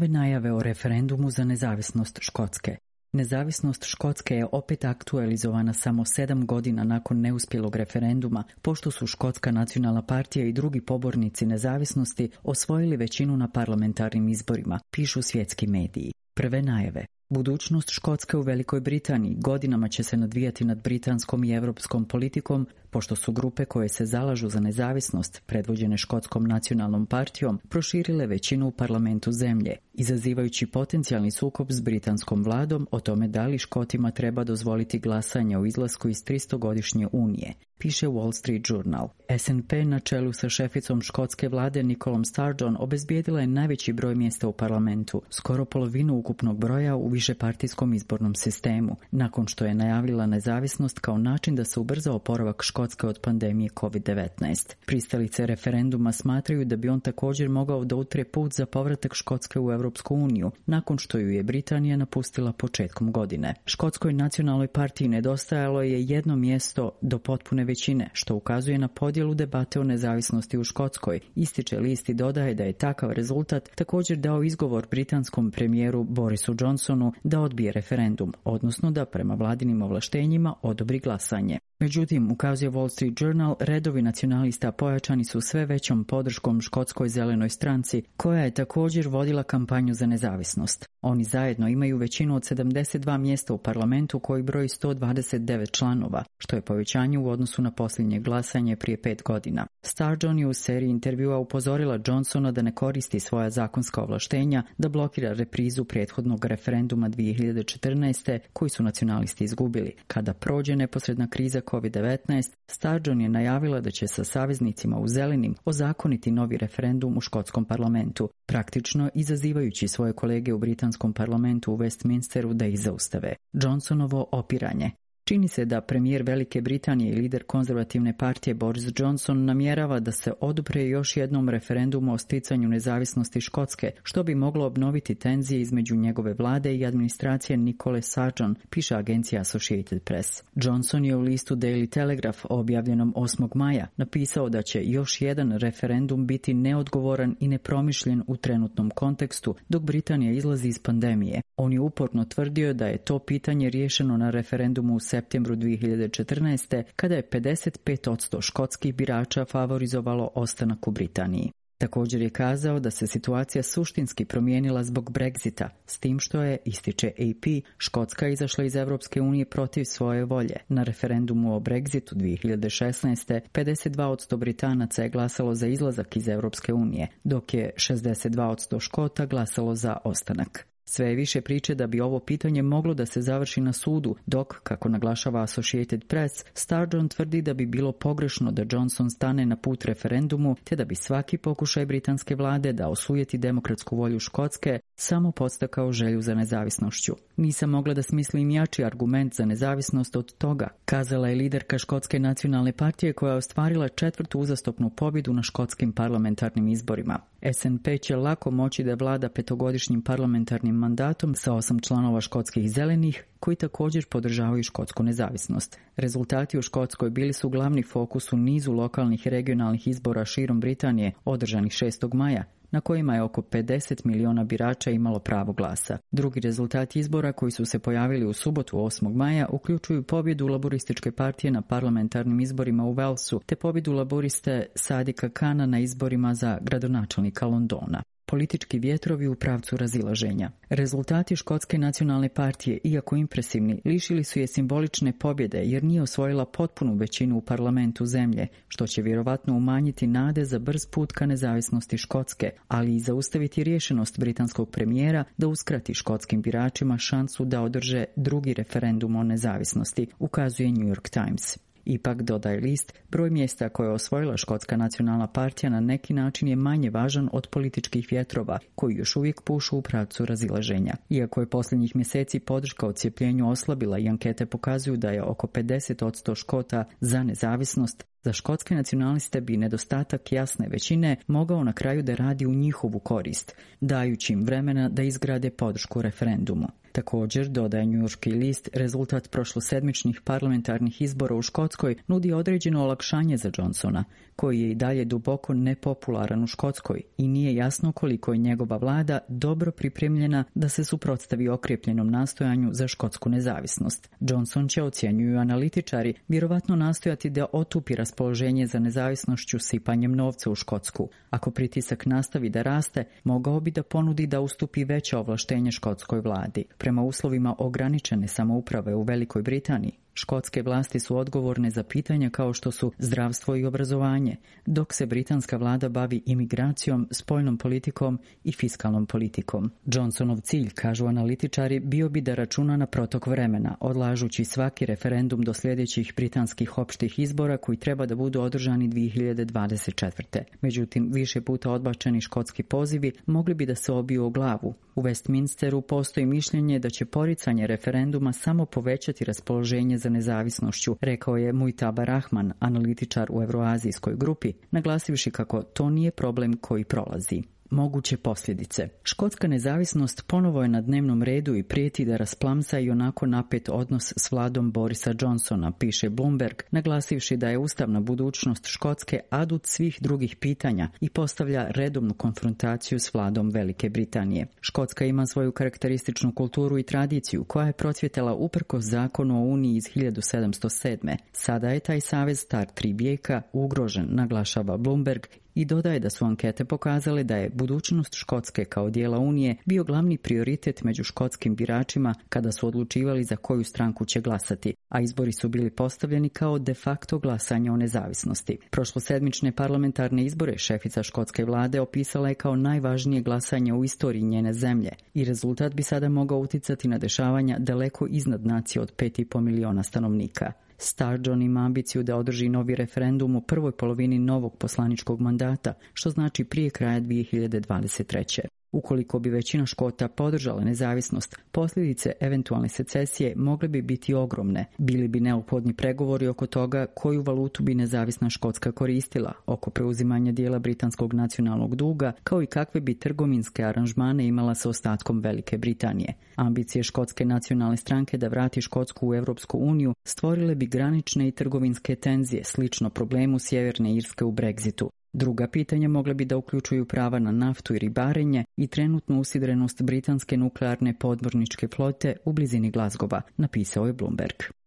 Nove najave o referendumu za nezavisnost Škotske. Nezavisnost Škotske je opet aktualizovana samo 7 godina nakon neuspjelog referenduma, pošto su Škotska nacionalna partija i drugi pobornici nezavisnosti osvojili većinu na parlamentarnim izborima, pišu svjetski mediji. Prve najave. Budućnost Škotske u Velikoj Britaniji godinama će se nadvijati nad britanskom i europskom politikom, pošto su grupe koje se zalažu za nezavisnost, predvođene Škotskom nacionalnom partijom, proširile većinu u parlamentu zemlje, izazivajući potencijalni sukob s britanskom vladom o tome da li Škotima treba dozvoliti glasanje o izlasku iz 300-godišnje unije, piše Wall Street Journal. SNP na čelu sa šeficom škotske vlade Nicolom Sturgeon obezbijedila je najveći broj mjesta u parlamentu, skoro polovinu ukupnog broja u višepartijskom izbornom sistemu, nakon što je najavila nezavisnost kao način da se ubrza oporavak Škotske od pandemije COVID-19. Pristalice referenduma smatraju da bi on također mogao da utre put za povratak Škotske u Europsku uniju, nakon što ju je Britanija napustila početkom godine. Škotskoj nacionalnoj partiji nedostajalo je jedno mjesto do potpune većine, što ukazuje na podjelu debate o nezavisnosti u Škotskoj. Ističe list i dodaje da je takav rezultat također dao izgovor britanskom premijeru Borisu Johnsonu da odbije referendum, odnosno da prema vladinim ovlaštenjima odobri glasanje. Međutim, ukazuje Wall Street Journal, redovi nacionalista pojačani su sve većom podrškom Škotskoj zelenoj stranci, koja je također vodila kampanju za nezavisnost. Oni zajedno imaju većinu od 72 mjesta u parlamentu koji broji 129 članova, što je povećanje u odnosu na posljednje glasanje prije 5 godina. Sturgeon je u seriji intervjua upozorila Johnsona da ne koristi svoja zakonska ovlaštenja da blokira reprizu prethodnog referenduma 2014. koji su nacionalisti izgubili. Kada prođe neposredna kriza COVID-19, Sturgeon je najavila da će sa saveznicima u zelenim ozakoniti novi referendum u škotskom parlamentu, praktično izazivajući svoje kolege u britanskom parlamentu u Westminsteru da ih zaustave. Johnsonovo opiranje. Čini se da premijer Velike Britanije i lider konzervativne partije Boris Johnson namjerava da se odupre još jednom referendumu o sticanju nezavisnosti Škotske, što bi moglo obnoviti tenzije između njegove vlade i administracije Nicole Sturgeon, piše agencija Associated Press. Johnson je u listu Daily Telegraph objavljenom 8. maja napisao da će još jedan referendum biti neodgovoran i nepromišljen u trenutnom kontekstu dok Britanija izlazi iz pandemije. On je uporno tvrdio da je to pitanje riješeno na referendumu u septembru 2014. kada je 55% škotskih birača favorizovalo ostanak u Britaniji. Također je kazao da se situacija suštinski promijenila zbog Brexita, s tim što je, ističe AP, Škotska izašla iz Europske unije protiv svoje volje. Na referendumu o Brexitu 2016. 52% Britanaca je glasalo za izlazak iz Europske unije, dok je 62% Škota glasalo za ostanak. Sve je više priče da bi ovo pitanje moglo da se završi na sudu, dok, kako naglašava Associated Press, Sturgeon tvrdi da bi bilo pogrešno da Johnson stane na put referendumu, te da bi svaki pokušaj britanske vlade da osujeti demokratsku volju Škotske samo podstakao želju za nezavisnošću. Nisam mogla da smislim jači argument za nezavisnost od toga, kazala je liderka Škotske nacionalne partije koja je ostvarila 4. uzastopnu pobjedu na škotskim parlamentarnim izborima. SNP će lako moći da vlada 5-godišnjim parlamentarnim mandatom sa 8 članova škotskih zelenih, koji također podržavaju škotsku nezavisnost. Rezultati u Škotskoj bili su glavni fokus u nizu lokalnih i regionalnih izbora širom Britanije, održanih 6. maja, na kojima je oko 50 miliona birača imalo pravo glasa. Drugi rezultati izbora koji su se pojavili u subotu 8. maja uključuju pobjedu laborističke partije na parlamentarnim izborima u Walesu te pobjedu laboriste Sadika Kana na izborima za gradonačelnika Londona. Politički vjetrovi u pravcu razilaženja. Rezultati Škotske nacionalne partije, iako impresivni, lišili su je simbolične pobjede jer nije osvojila potpunu većinu u parlamentu zemlje, što će vjerovatno umanjiti nade za brz put ka nezavisnosti Škotske, ali i zaustaviti rješenost britanskog premijera da uskrati škotskim biračima šansu da održe drugi referendum o nezavisnosti, ukazuje New York Times. Ipak, dodaje list, broj mjesta koje je osvojila Škotska nacionalna partija na neki način je manje važan od političkih vjetrova, koji još uvijek pušu u pravcu razilaženja. Iako je posljednjih mjeseci podrška odcijepljenju oslabila i ankete pokazuju da je oko 50% Škota za nezavisnost, za škotske nacionaliste bi nedostatak jasne većine mogao na kraju da radi u njihovu korist, dajući im vremena da izgrade podršku referendumu. Također, dodaje njujorški list, rezultat prošlosedmičnih parlamentarnih izbora u Škotskoj nudi određeno olakšanje za Johnsona, koji je i dalje duboko nepopularan u Škotskoj i nije jasno koliko je njegova vlada dobro pripremljena da se suprotstavi okrepljenom nastojanju za škotsku nezavisnost. Johnson će, ocjenjuju analitičari, vjerovatno nastojati da otupi raspoloženje za nezavisnošću sipanjem novca u Škotsku. Ako pritisak nastavi da raste, mogao bi da ponudi da ustupi veće ovlaštenje škotskoj vladi. Prema uslovima ograničene samouprave u Velikoj Britaniji, škotske vlasti su odgovorne za pitanja kao što su zdravstvo i obrazovanje, dok se britanska vlada bavi imigracijom, spoljnom politikom i fiskalnom politikom. Johnsonov cilj, kažu analitičari, bio bi da računa na protok vremena, odlažući svaki referendum do sljedećih britanskih opštih izbora koji treba da budu održani 2024. Međutim, više puta odbačeni škotski pozivi mogli bi da se obiju o glavu. U Westminsteru postoji mišljenje da će poricanje referenduma samo povećati raspoloženje za nezavisnošću, rekao je Mujtaba Rahman, analitičar u Evroazijskoj grupi, naglasivši kako to nije problem koji prolazi. Moguće posljedice. Škotska nezavisnost ponovo je na dnevnom redu i prijeti da rasplamsa i onako napet odnos s vladom Borisa Johnsona, piše Bloomberg, naglasivši da je ustavna budućnost Škotske adut svih drugih pitanja i postavlja redovnu konfrontaciju s vladom Velike Britanije. Škotska ima svoju karakterističnu kulturu i tradiciju koja je procvjetala uprkos zakonu o Uniji iz 1707. Sada je taj savez star 3 vijeka ugrožen, naglašava Bloomberg, i dodaje da su ankete pokazale da je budućnost Škotske kao dijela Unije bio glavni prioritet među škotskim biračima kada su odlučivali za koju stranku će glasati, a izbori su bili postavljeni kao de facto glasanje o nezavisnosti. Prošlosedmične parlamentarne izbore šefica škotske vlade opisala je kao najvažnije glasanje u istoriji njene zemlje i rezultat bi sada mogao uticati na dešavanja daleko iznad nacije od 5,5 miliona stanovnika. Sturgeon ima ambiciju da održi novi referendum u prvoj polovini novog poslaničkog mandata, što znači prije kraja 2023. Ukoliko bi većina Škota podržala nezavisnost, posljedice eventualne secesije mogle bi biti ogromne. Bili bi neophodni pregovori oko toga koju valutu bi nezavisna Škotska koristila, oko preuzimanja dijela britanskog nacionalnog duga, kao i kakve bi trgovinske aranžmane imala sa ostatkom Velike Britanije. Ambicije Škotske nacionalne stranke da vrati Škotsku u Europsku uniju stvorile bi granične i trgovinske tenzije, slično problemu Sjeverne Irske u Brexitu. Druga pitanja mogla bi da uključuju prava na naftu i ribarenje i trenutnu usidrenost britanske nuklearne podmorničke flote u blizini Glasgowa, napisao je Bloomberg.